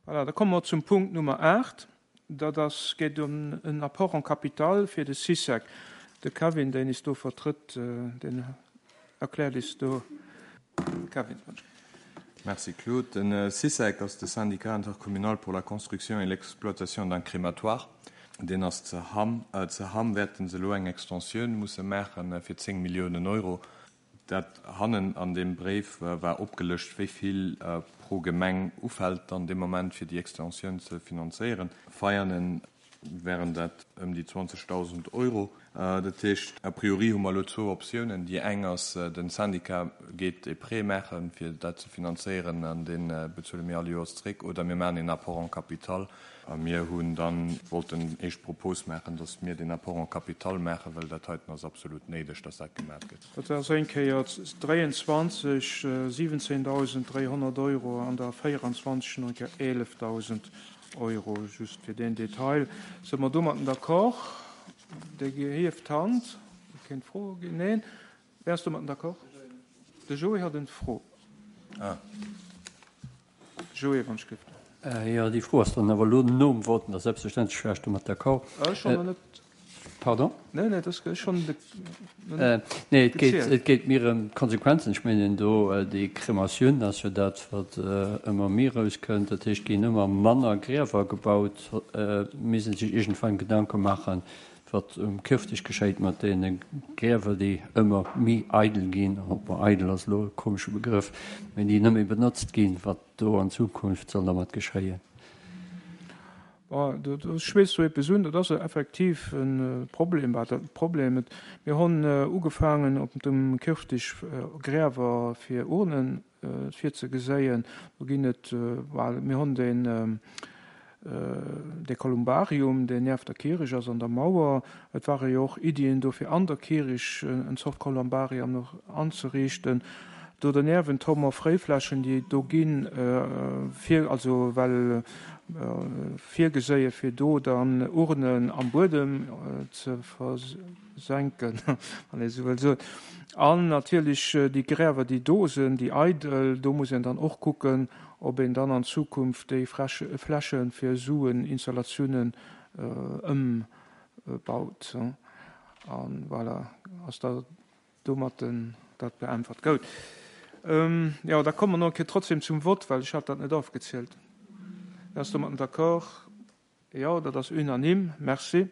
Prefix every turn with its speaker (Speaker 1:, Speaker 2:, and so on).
Speaker 1: Voilà, da komme mer zum Punkt Nummer 8. Dat ass, geet ëm en Apport en capital fir de Sycec. De Kevin, deen is do vertrëtt, deen erkläert is do. Kevin.
Speaker 2: Merci Claude. Den Sycec ass de Syndicat intercommunal pour la construction et l'exploitation d'un crématoire. Deen ass ze Hamm. Ze Hamm wäerten se elo eng Extensioun musse maache fir 10 Milliounen Euro. Dat hannen an deem Bréif war opgelëscht, wéi vill pro Gemeng ufält dann dee Moment, fir déi Extensioun ze finanzéieren. Veianen wären dat ëm déi 20.000 Euro. Dat heescht, a priori hu mer elo zwou Optiounen. Déi eng ass, de Syndicat geet e Prêt maachen, fir dat ze finanzéieren, an dee bezuele mir all Joers zréck, oder mir maachen een Apport en capital. A mir hunn dann wollten éischt Propos maachen, dass mir deen Apport en capital maachen, well dat heiten ass absolut néideg, dass dat gemat gëtt.
Speaker 1: Dat ass eng Kéier 23 17.300 Euro an da 24 nach eng Kéier 11.000 Euro. Just fir deen Detail. Si mer domatten d'accord? Dir hieft d'Hand. Et kéint Froe ginn. Neen? Wär ass domatten d'accord? De Joé hat en Fro. Ah. Joé, wann ech gëft.
Speaker 3: Jo, déi Fro ass dann awer elo nom Vote, da selbstverständlech war ech domat d'accord.
Speaker 1: Ech schonn nach net.
Speaker 3: Pardon?
Speaker 1: Nee, nee, dat ass schonn de.
Speaker 3: Nee, et geet, et geet mir ëm d'Konsequenzen. Ech mengen do, déi Krematioun ass jo dat, wat ëmmer méi erauskënnt. Dat heescht, et ginn ëmmer manner Griewer gebaut, misst ee sech iergendwann Gedanke maachen, Wat um Kierfdeg geschéit mat deene Griewer, déi ëmmer méi eidel ginn, bon, eidel ass elo e komesche Begrëff, mä déi net méi benotzt ginn, wat do an Zukunft soll dermat geschéien.
Speaker 1: Bon, do schwätz du eppes un, dat ass effektiv e Problem, wat e Problem. Mir hunn ugefaangen op dem Kierfdeg Griewer fir Urnen virzegeséien. Do ginn et, well mir hunn deen, dee Kolumbarium, deen nieft der Kierich ass, an der Mauer. Et ware jo och Iddien do, fir an der Kierich en Zort Kolumbarium nach anzeriichten. Do derniewent hu mer Fréiflächen, déi do ginn, fir, also well virgeséie fir do dann Urnen am Buedem ze senken, wann ee sou wëll soen. An natierlech déi Griewer, déi do sinn, déi eidel, do muss een dann och kucken, ob een dann an Zukunft déi Fläche fir esou Installatiounen ëmbaut. A voilà, ass da domatten dat beäntwert. Goud. Jo, da komme mer nach eng Kéier trotzdem zum Vott, well ech hat dat net afgezielt. Wien ass domatten d'accord? Jo, dat ass unanime. Merci.